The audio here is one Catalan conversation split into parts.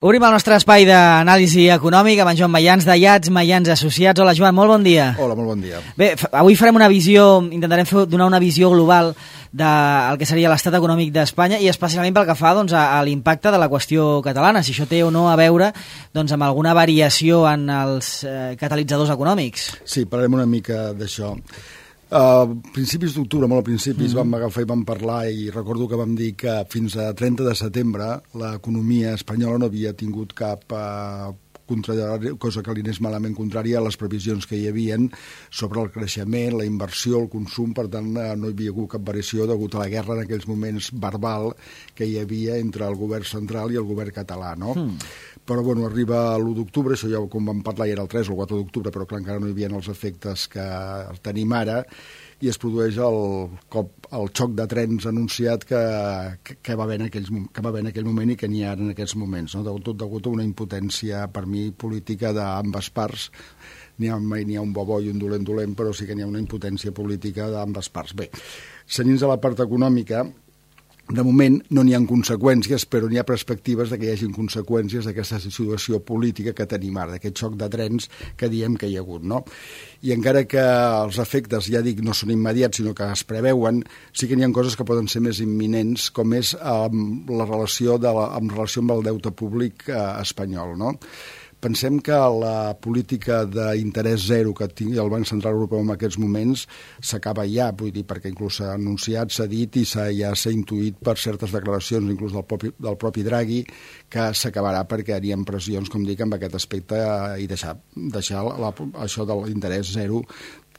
Obrim el nostre espai d'anàlisi econòmica amb en Joan Mayans, de Yats Mayans Associats. Hola, Joan, molt bon dia. Hola, molt bon dia. Bé, avui farem una visió, intentarem donar una visió global del que seria l'estat econòmic d'Espanya i especialment pel que fa doncs, a l'impacte de la qüestió catalana, si això té o no a veure doncs, amb alguna variació en els catalitzadors econòmics. Sí, parlarem una mica d'això. A principis d'octubre, molt a principis, vam agafar i vam parlar i recordo que vam dir que fins a 30 de setembre l'economia espanyola no havia tingut cap cosa que li anés malament contrària a les previsions que hi havien sobre el creixement, la inversió, el consum. Per tant, no hi havia hagut cap variació degut a la guerra en aquells moments verbal que hi havia entre el govern central i el govern català, no? Però, bueno, arriba l'1 d'octubre, això ja com vam parlar ja era el 3 o el 4 d'octubre, però clar, encara no hi havia els efectes que tenim ara, i es produeix el xoc de trens anunciat que va haver en aquell moment i que n'hi ha en aquests moments, no? Tot degut a una impotència, per mi, política d'ambes parts. Mai n'hi ha un bo i un dolent, però sí que n'hi ha una impotència política d'ambes parts. Bé, seguint a la part econòmica, de moment no n'hi ha conseqüències, però n'hi ha perspectives de que hi hagin conseqüències d'aquesta situació política que tenim ara, d'aquest xoc de trens que diem que hi ha hagut, no? I encara que els efectes, ja dic, no són immediats, sinó que es preveuen, sí que n'hi ha coses que poden ser més imminents, com és la relació amb el deute públic espanyol, no? Pensem que la política d'interès zero que tingui el Banc Central Europeu en aquests moments s'acaba ja, vull dir, perquè inclús s'ha anunciat, s'ha dit i ja s'ha intuït per certes declaracions, inclús del propi Draghi, que s'acabarà perquè hi ha pressions, com dic, amb aquest aspecte i deixar això de l'interès zero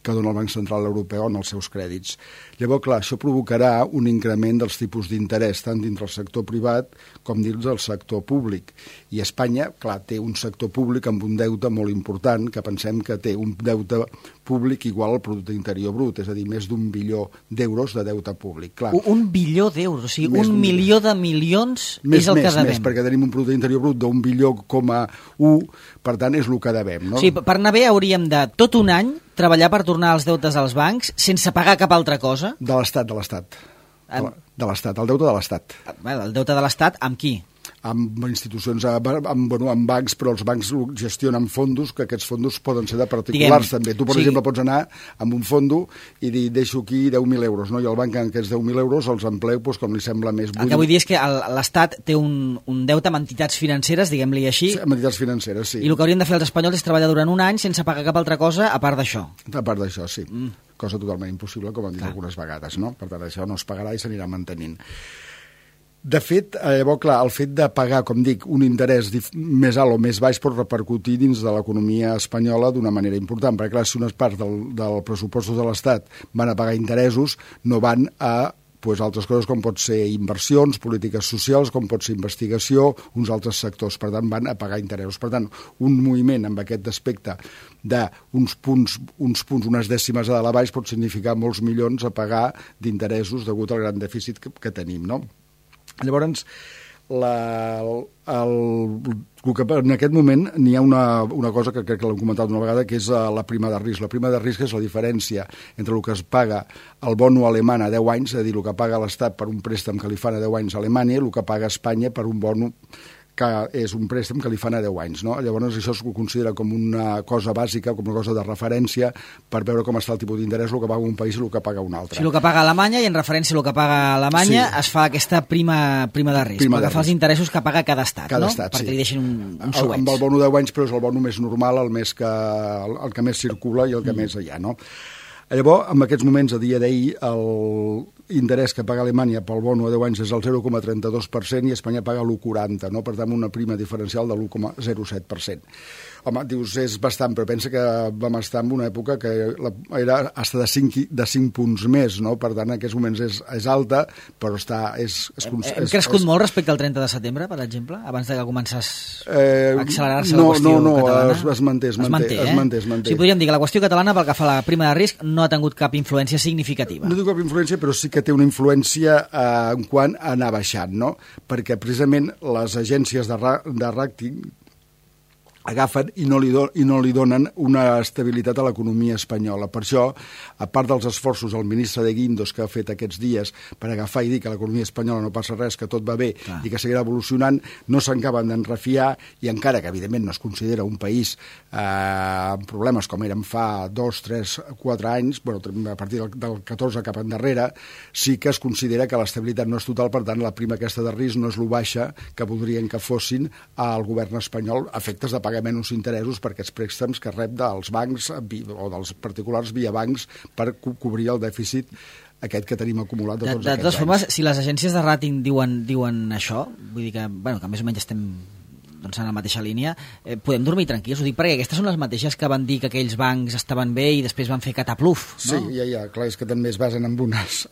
que dona el Banc Central Europeu en els seus crèdits. Llavors, clar, això provocarà un increment dels tipus d'interès, tant dintre el sector privat com dins del sector públic. I Espanya, clar, té un sector públic amb un deute molt important, que pensem que té un deute públic igual al producte interior brut, és a dir, més d'1 bilió d'euros de deute públic. Clar, 1 bilió d'euros, o sigui, 1 milió de milions és el que devem. Més, perquè tenim un producte interior brut d'1 bilió, per tant, és el que devem, no? Sí, per anar bé hauríem de tot un any treballar per tornar els deutes als bancs sense pagar cap altra cosa? De l'Estat. De l'Estat, el deute de l'Estat. El deute de l'Estat amb qui? Amb institucions, amb bancs, però els bancs gestionen fondos, que aquests fondos poden ser de particulars també. Tu, per exemple, pots anar amb un fondo i dir, deixo aquí 10.000 euros, no? I el banc en aquests 10.000 euros els empleu com li sembla més. El que vull dir és que l'Estat té un deute amb entitats financeres, diguem-li així. Sí, amb entitats financeres, sí. I el que haurien de fer els espanyols és treballar durant un any sense pagar cap altra cosa a part d'això. A part d'això, sí. Cosa totalment impossible, com hem dit algunes vegades, no? Per tant, això no es pagarà i s'anirà mantenint. De fet, llavors, clar, el fet de pagar, com dic, un interès més alt o més baix pot repercutir dins de l'economia espanyola d'una manera important, perquè, clar, si unes parts del pressupost de l'Estat van a pagar interessos, no van a altres coses com pot ser inversions, polítiques socials, com pot ser investigació, uns altres sectors. Per tant, van a pagar interessos. Per tant, un moviment amb aquest aspecte d'uns punts, unes dècimes a dalt a baix pot significar molts milions a pagar d'interessos degut al gran dèficit que tenim, no? Llavors, en aquest moment n'hi ha una cosa que crec que l'hem comentat una vegada, que és la prima de risc. La prima de risc és la diferència entre el que es paga el bono alemany a 10 anys, és a dir, el que paga l'Estat per un préstec que li fan a 10 anys a Alemanya i el que paga Espanya per un bono que és un préstec que li fan a 10 anys, no? Llavors això es considera com una cosa bàsica, com una cosa de referència per veure com està el tipus d'interès, el que paga un país i el que paga un altre. Sí, el que paga Alemanya, i en referència al que paga Alemanya es fa aquesta prima de risc, pel que fa als interessos que paga cada estat, no? Perquè li deixin un suet. Amb el bono 10 anys, però és el bono més normal, el que més circula i el que més hi ha, no? Llavors, en aquests moments, a dia d'ahir, l'interès que paga Alemanya pel bono a 10 anys és el 0,32% i Espanya paga l'1,40%, no? Per tant, una prima diferencial de l'1,07%. Home, dius, és bastant, però pensa que vam estar en una època que era fins de 5 punts més, no? Per tant, en aquests moments és alta, però Hem crescut molt respecte al 30 de setembre, per exemple, abans que començés a accelerar-se la qüestió catalana? No, es manté. Sí, podríem dir que la qüestió catalana, pel que fa a la prima de risc, no ha tingut cap influència significativa. No té cap influència, però sí que té una influència en quant a anar baixant, no? Perquè precisament les agències de ràting agafen i no li donen una estabilitat a l'economia espanyola. Per això, a part dels esforços del ministre de Guindos que ha fet aquests dies per agafar i dir que l'economia espanyola no passa res, que tot va bé i que seguirà evolucionant, no s'acaben d'enrefiar i encara que evidentment no es considera un país amb problemes com érem fa 2, 3, 4 anys, a partir del 14 cap endarrere, sí que es considera que l'estabilitat no és total, per tant la prima aquesta de risc no és lo baixa que voldrien que fossin al govern espanyol a efectes de pagar menys interessos per aquests préstecs que rep dels bancs o dels particulars via bancs per cobrir el dèficit aquest que tenim acumulat de tots aquests anys. De totes formes, si les agències de ràting diuen això, vull dir que més o menys estem en la mateixa línia, podem dormir tranquils. Ho dic perquè aquestes són les mateixes que van dir que aquells bancs estaven bé i després van fer catapluf, no? Sí, ja, clar, és que també es basen en unes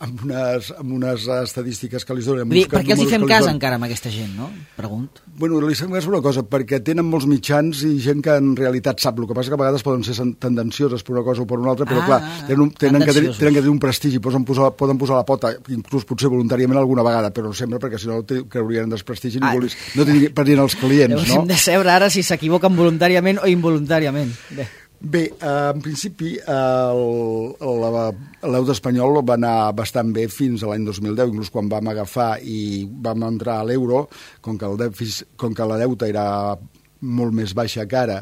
estadístiques que li donen. Per què els hi fem cas encara amb aquesta gent, no? Pregunto. Bueno, li fem cas per una cosa, perquè tenen molts mitjans i gent que en realitat sap. El que passa que a vegades poden ser tendencioses per una cosa o per una altra, però clar, tenen que tenir un prestigi, poden posar la pota, inclús potser voluntàriament alguna vegada, però no sempre, perquè si no creurien en desprestigi i no tindrien els clients. Hem de saber ara si s'equivoquen voluntàriament o involuntàriament. Bé, en principi l'euro espanyol va anar bastant bé fins a l'any 2010, inclús quan vam agafar i vam entrar a l'euro, com que la deuta era molt més baixa que ara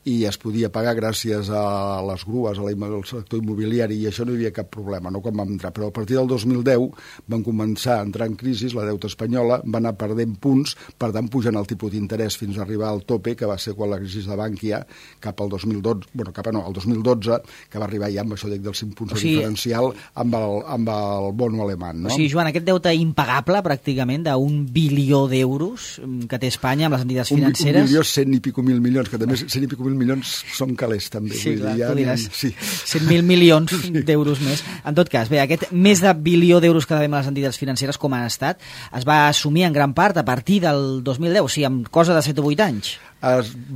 i es podia pagar gràcies a les grues, al sector immobiliari, i això no hi havia cap problema, no quan vam entrar. Però a partir del 2010 van començar a entrar en crisi, la deuta espanyola va anar perdent punts, per tant pujant el tipus d'interès fins a arribar al tope, que va ser quan la crisi de Bànquia, cap al 2012, al 2012, que va arribar ja amb això dels 5 punts de diferencial amb el bono alemany. No? O sigui, Joan, aquest deute impagable, pràcticament, d'1 bilió d'euros que té Espanya amb les entitats financeres... 1 bilió, 100 i pico mil milions, que també 100 i pico mil milions són calés, també. Sí, clar, tu diràs. 100.000 milions d'euros més. En tot cas, bé, aquest més de bilió d'euros que devem a les entitats financeres, com han estat, es va assumir en gran part a partir del 2010, o sigui, amb cosa de 7 o 8 anys.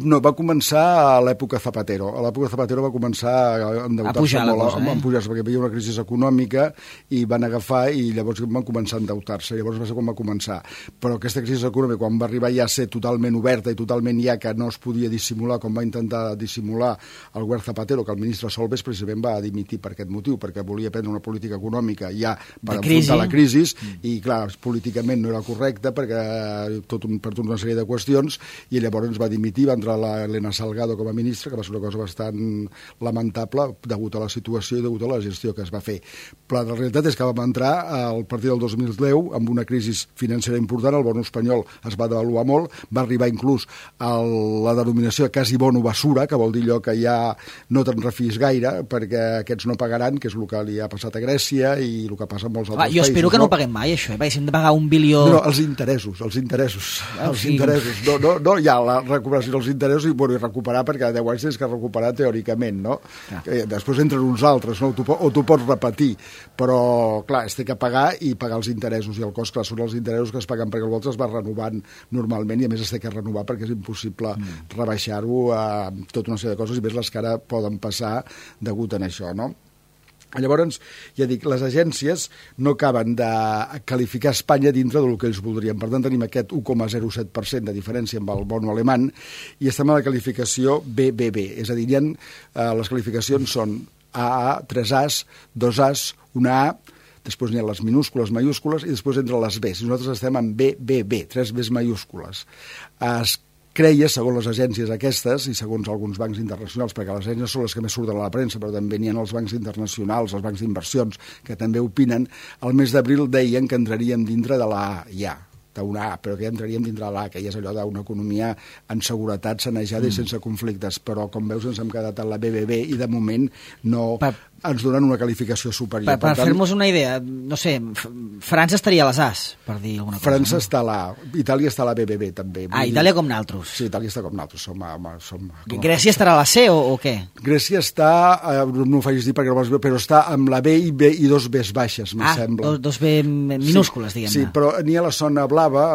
No, va començar a l'època Zapatero. A l'època Zapatero va començar a endeutar-se molt, a pujar-se, perquè hi havia una crisi econòmica i van agafar i llavors van començar a endeutar-se. Llavors va ser quan va començar. Però aquesta crisi econòmica, quan va arribar ja a ser totalment oberta i totalment ja que no es podia dissimular, com va intentar dissimular el govern Zapatero, que el ministre Solbes precisament va dimitir per aquest motiu, perquè volia prendre una política econòmica ja per enfrontar la crisi i, clar, políticament no era correcte perquè per tota una sèrie de qüestions, i llavors ens va dimitir, va entrar l'Elena Salgado com a ministra, que va ser una cosa bastant lamentable degut a la situació i degut a la gestió que es va fer. Però la realitat és que vam entrar a partir del 2010 amb una crisi financera important, el bono espanyol es va devaluar molt, va arribar inclús a la denominació de quasi bono basura, que vol dir allò que ja no te'n refies gaire, perquè aquests no pagaran, que és el que li ha passat a Grècia i el que passa en molts altres països. Jo espero que no paguem mai, això, perquè si hem de pagar 1 bilió... No, els interessos. No, ja la recuperació dels interessos i recuperar, perquè 10 anys tens que recuperar teòricament, no? Després entren uns altres, no? O tu pots repetir, però, clar, es té que pagar i pagar els interessos, i el cost, clar, són els interessos que es paguen perquè el volta es va renovant normalment i a més es té que renovar perquè és impossible rebaixar-ho a tota una sèrie de coses i més les que ara poden passar degut a això, no? Llavors, ja dic, les agències no acaben de qualificar Espanya dintre del que ells voldrien. Per tant, tenim aquest 1,07% de diferència amb el bono alemany i estem a la qualificació BBB. És a dir, les qualificacions són AA, 3 As, 2 As, una A, després n'hi ha les minúscules, majúscules i després entre les Bs. I nosaltres estem en BBB, 3 Bs majúscules. Creia, segons les agències aquestes i segons alguns bancs internacionals, perquè les agències són les que més surten a la premsa, però també n'hi ha els bancs internacionals, els bancs d'inversions, que també opinen, al mes d'abril deien que entraríem dintre de la A, ja, d'una A, però que ja entraríem dintre de l'A, que ja és allò d'una economia en seguretat, sanejada i sense conflictes, però com veus ens hem quedat a la BBB i de moment no... ens donen una qualificació superior. Per fer-nos una idea, no sé, França estaria a les As, per dir alguna cosa. França està a l'A, Itàlia està a la BBB, també. Itàlia com naltros. Sí, Itàlia està com naltros. Grècia estarà a la C o què? Grècia està, no ho facis dir perquè no vols dir, però està amb la B i 2 Bs baixes, em sembla. 2 B minúscules, diguem-ne. Sí, però n'hi ha la zona blava,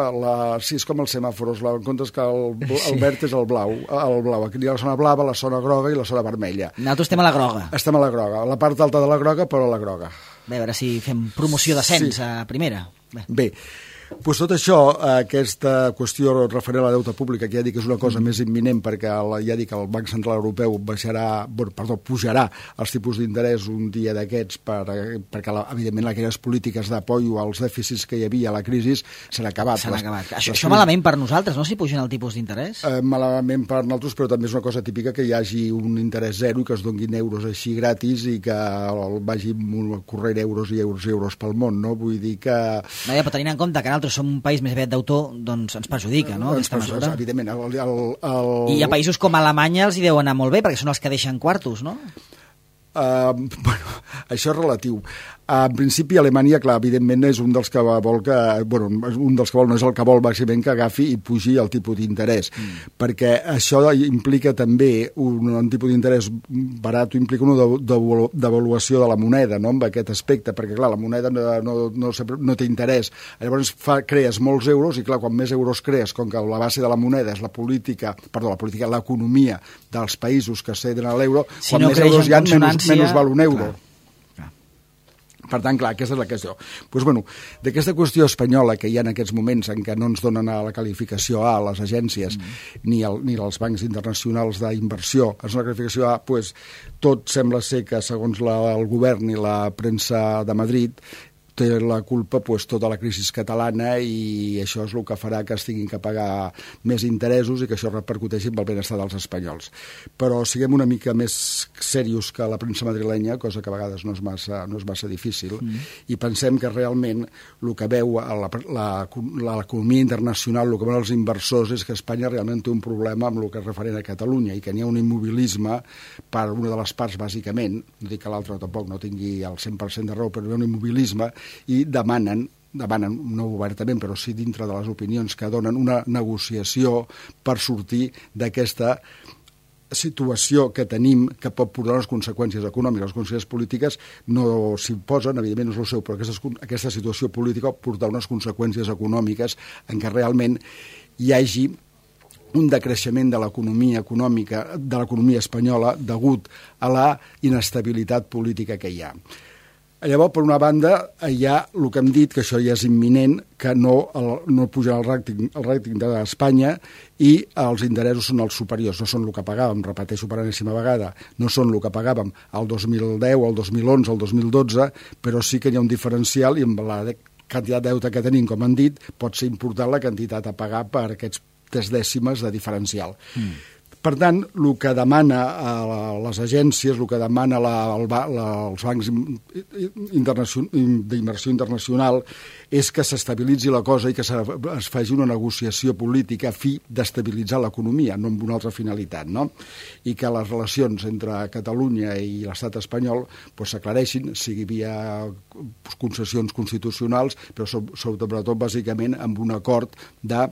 sí, és com els semàforos, en comptes que el verd és el blau, aquí n'hi ha la zona blava, la zona groga i la zona vermella. Nosaltres estem a la groga. Estem a la groga, la part alta de la groga, però a la groga. Bé, a veure si fem promoció d'ascens a primera. Bé, Pues tot això, aquesta qüestió referent a la deute pública, que ja dic que és una cosa més imminent perquè ja dic que el Banc Central Europeu pujarà els tipus d'interès un dia d'aquests perquè evidentment aquelles polítiques d'apoio als dèficits que hi havia a la crisi s'han acabat. Això malament per nosaltres, no? Si pugen el tipus d'interès? Malament per nosaltres, però també és una cosa típica que hi hagi un interès zero i que es donguin euros així gratis i que vagi corrent euros i euros pel món, no? Vull dir que... No, ja, però tenint en compte que nosaltres som un país més aviat d'autor, doncs ens perjudica, no?, aquesta mesura. Evidentment. I a països com Alemanya els hi deu anar molt bé, perquè són els que deixen quartos, no? Bueno, això és relatiu. En principi, Alemanya, clar, evidentment és un dels que vol no és el que vol bàsicament que agafi i pugi el tipus d'interès, perquè això implica també un tipus d'interès barat, implica una devaluació de la moneda, no?, amb aquest aspecte, perquè clar, la moneda no té interès. Llavors crees molts euros i clar, quan més euros crees, com que la base de la moneda és l'economia dels països que ceden a l'euro, si quan no més euros hi ha, menys val un euro. Clar. Per tant, clar, aquesta és la qüestió. Doncs, bueno, d'aquesta qüestió espanyola que hi ha en aquests moments en què no ens donen la qualificació A a les agències ni als bancs internacionals d'inversió, és una qualificació A, doncs, tot sembla ser que, segons el govern i la premsa de Madrid, té la culpa tota la crisi catalana i això és el que farà que es tinguin que pagar més interessos i que això repercuteixi en el benestar dels espanyols. Però siguem una mica més serios que la premsa madrilenya, cosa que a vegades no és massa difícil, i pensem que realment el que veu l'economia internacional, el que veuen els inversors, és que Espanya realment té un problema amb el que és referent a Catalunya i que n'hi ha un immobilisme per una de les parts, bàsicament, no dic que l'altra tampoc no tingui el 100% de raó, però hi ha un immobilisme i demanen, no obertament, però sí dintre de les opinions que donen, una negociació per sortir d'aquesta situació que tenim, que pot portar unes conseqüències econòmiques. Les conseqüències polítiques no s'hi posen, evidentment no és el seu, però aquesta situació política pot portar unes conseqüències econòmiques en què realment hi hagi un decreixement de l'economia econòmica, de l'economia espanyola, degut a la inestabilitat política que hi ha. Llavors, per una banda, hi ha el que hem dit, que això ja és imminent, que no puja el ràting d'Espanya i els interessos són els superiors, no són el que pagàvem, repeteixo per enèsima vegada, no són el que pagàvem el 2010, el 2011, el 2012, però sí que hi ha un diferencial i amb la quantitat de deute que tenim, com han dit, pot ser important la quantitat a pagar per aquests 3 dècimes de diferencial. Per tant, el que demana les agències, el que demana els bancs d'inversió internacional és que s'estabilitzi la cosa i que es faci una negociació política a fi d'estabilitzar l'economia, no amb una altra finalitat, no? I que les relacions entre Catalunya i l'estat espanyol s'aclareixin, sigui via concessions constitucionals, però sobretot, bàsicament, amb un acord de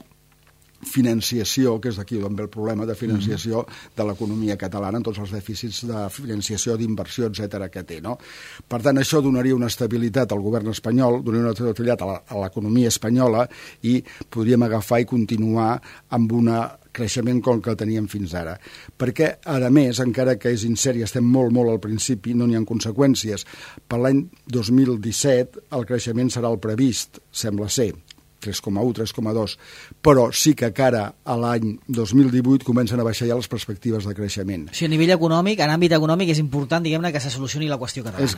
financiació, que és d'aquí on ve el problema de financiació de l'economia catalana en tots els dèficits de financiació, d'inversió, etcètera, que té, no? Per tant, això donaria una estabilitat al govern espanyol, donaria una estabilitat a l'economia espanyola i podríem agafar i continuar amb un creixement com que el teníem fins ara. Perquè, a més, encara que és incert i estem molt al principi, no n'hi ha conseqüències. Per l'any 2017 el creixement serà el previst, sembla ser, 3,1, 3,2, però sí que cara a l'any 2018 comencen a baixar ja les perspectives de creixement. O sigui, a nivell econòmic, en àmbit econòmic, és important, diguem-ne, que se solucioni la qüestió catalana. És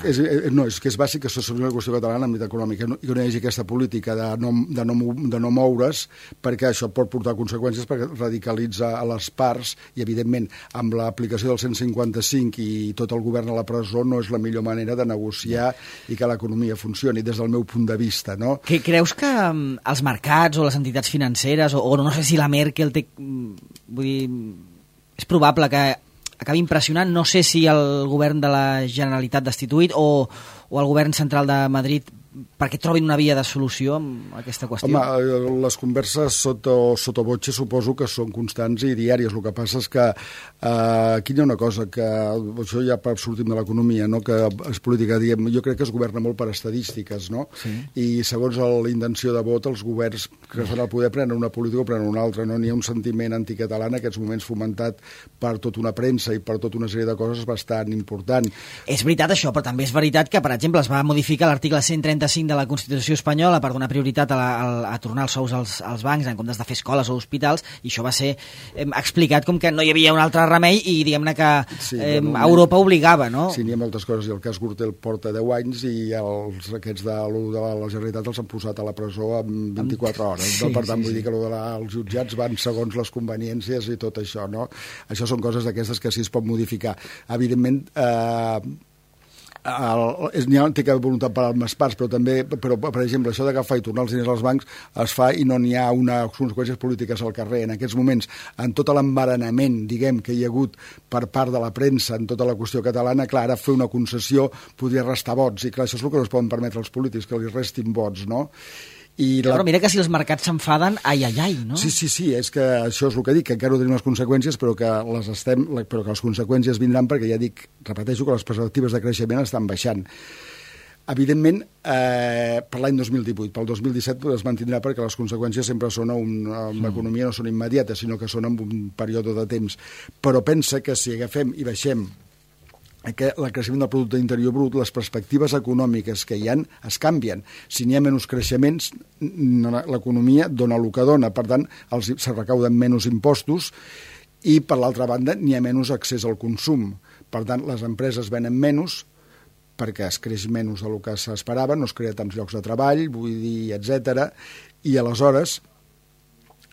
que és bàsic que se solucioni la qüestió catalana en àmbit econòmic, i que no hi hagi aquesta política de no moure's, perquè això pot portar conseqüències, perquè radicalitza a les parts, i evidentment, amb l'aplicació del 155 i tot el govern a la presó, no és la millor manera de negociar i que l'economia funcioni, des del meu punt de vista, no? Creus que els mercats o les entitats financeres o no sé si la Merkel té... Vull dir, és probable que acabi impressionant, no sé si el govern de la Generalitat destituït o el govern central de Madrid perquè trobin una via de solució amb aquesta qüestió? Home, les converses sottovoce suposo que són constants i diàries. El que passa és que aquí hi ha una cosa que això ja sortim de l'economia, no? Que és política, diem, jo crec que es governa molt per estadístiques, no? Sí. I segons la intenció de vot, els governs que estan al poder prenen una política o prenen una altra, no? N'hi ha un sentiment anticatalà en aquests moments fomentat per tota una premsa i per tota una sèrie de coses bastant important. És veritat això, però també és veritat que, per exemple, es va modificar l'article 135 135 de la Constitució espanyola per donar prioritat a tornar els sous als bancs en comptes de fer escoles o hospitals, i això va ser explicat com que no hi havia un altre remei i diguem-ne que Europa obligava, no? Sí, n'hi ha moltes coses, i el cas Gürtel porta 10 anys i aquests de la Generalitat els han posat a la presó en 24 hores. Sí, per tant, vull dir que els jutjats van segons les conveniències i tot això, no? Això són coses d'aquestes que sí es pot modificar. Evidentment, n'hi ha voluntat per les parts, però per exemple, això d'agafar i tornar els diners als bancs es fa i no n'hi ha unes conseqüències polítiques al carrer. En aquests moments, en tot l'embaranament, diguem, que hi ha hagut per part de la premsa en tota la qüestió catalana, clar, ara fer una concessió podria restar vots, i clar, això és el que no es poden permetre als polítics, que li restin vots, no? Però mira que si els mercats s'enfaden, ai, no? Sí, és que això és el que dic, que encara no tenim les conseqüències, però que les conseqüències vindran perquè, ja dic, repeteixo, que les perspectives de creixement estan baixant. Evidentment, per l'any 2018, pel 2017 es mantindrà perquè les conseqüències sempre són en l'economia, no són immediates, sinó que són en un període de temps. Però pensa que si agafem i baixem el creixement del producte interior brut, les perspectives econòmiques que hi ha es canvien. Si n'hi ha menys creixements, l'economia dona el que dona, per tant, se recauden menys impostos i, per l'altra banda, n'hi ha menys accés al consum. Per tant, les empreses venen menys perquè es creix menys del que s'esperava, no es crea tants llocs de treball, vull dir, etc. I aleshores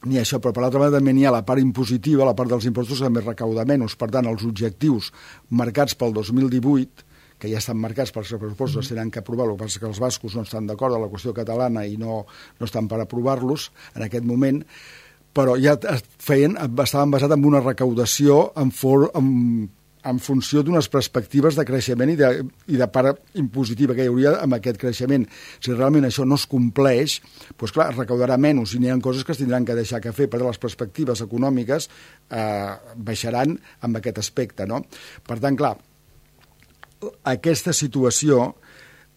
n'hi ha això, però per l'altra banda també n'hi ha la part impositiva, la part dels impostos que també recauda menys. Per tant, els objectius marcats pel 2018, que ja estan marcats pels pressupostos, tenen que aprovar, el que passa que els bascos no estan d'acord amb la qüestió catalana i no estan per aprovar-los en aquest moment, però ja estaven basats en una recaudació en funció d'unes perspectives de creixement i de part impositiva que hi hauria amb aquest creixement. Si realment això no es compleix, doncs clar, es recaudarà menys i n'hi ha coses que es tindran que deixar que fer, perquè les perspectives econòmiques baixaran amb aquest aspecte, no? Per tant, clar, aquesta situació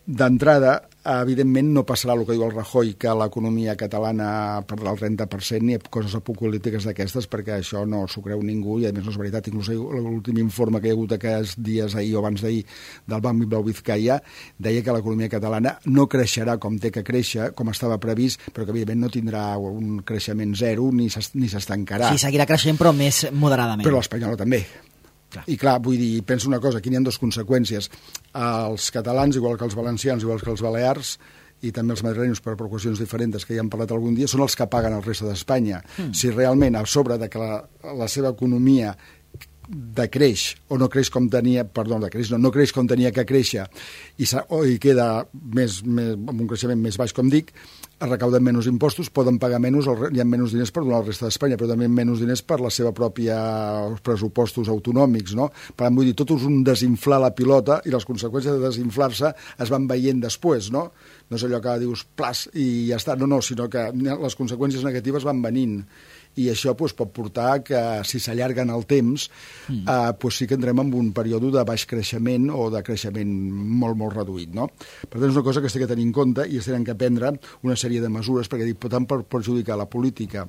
d'entrada, evidentment, no passarà el que diu el Rajoy, que l'economia catalana perdrà el 30% ni coses apocalíptiques d'aquestes, perquè això no s'ho creu ningú i, a més, no és veritat. Inclús l'últim informe que hi ha hagut aquests dies ahir o abans d'ahir del Banc Bilbao Vizcaya deia que l'economia catalana no creixerà com té que créixer, com estava previst, però que, evidentment, no tindrà un creixement zero ni s'estancarà. Sí, seguirà creixent, però més moderadament. Però l'espanyola també. I clar, vull dir, penso una cosa, aquí n'hi ha dues conseqüències. Els catalans, igual que els valencians, igual que els balears, i també els madrilenys, per qüestions diferents que ja hem parlat algun dia, són els que paguen el resta d'Espanya. Si realment, a sobre de que la seva economia decreix o no creix com tenia, no creix com tenia que créixer i queda amb un creixement més baix, com dic, es recauden menys impostos, poden pagar menys, hi ha menys diners per donar al resta d'Espanya, però també menys diners per la seva pròpia pressupostos autonòmics, no? Per tant, vull dir, tot és un desinflar la pilota i les conseqüències de desinflar-se es van veient després, no? No és allò que dius, plas, i ja està, no, sinó que les conseqüències negatives van venint. I això pot portar que, si s'allarguen el temps, sí que entrem en un període de baix creixement o de creixement molt, molt reduït, no? Per tant, és una cosa que s'ha de tenir en compte i es tenen que prendre una sèrie de mesures, perquè tant per perjudicar la política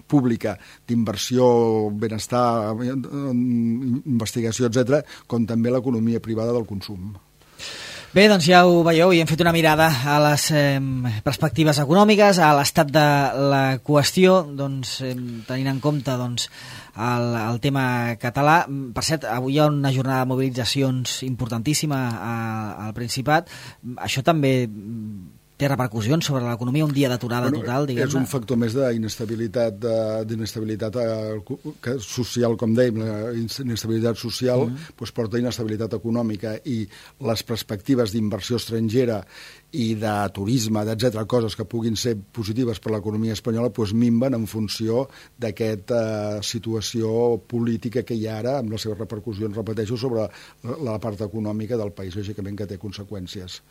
pública d'inversió, benestar, investigació, etc., com també l'economia privada del consum. Bé, doncs ja ho veieu, i hem fet una mirada a les perspectives econòmiques, a l'estat de la qüestió, doncs, tenint en compte el tema català. Per cert, avui hi ha una jornada de mobilitzacions importantíssima al Principat. Això també té repercussions sobre l'economia, un dia d'aturada total, diguem-ne? És un factor més d'inestabilitat social, com dèiem, la inestabilitat social porta inestabilitat econòmica, i les perspectives d'inversió estrangera i de turisme, etc., coses que puguin ser positives per l'economia espanyola, minven en funció d'aquesta situació política que hi ha ara, amb les seves repercussions, repeteixo, sobre la part econòmica del país, lògicament que té conseqüències.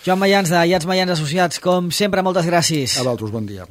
Joan Mayans, de IATS Mayans Associats, com sempre, moltes gràcies. A vosaltres, bon dia.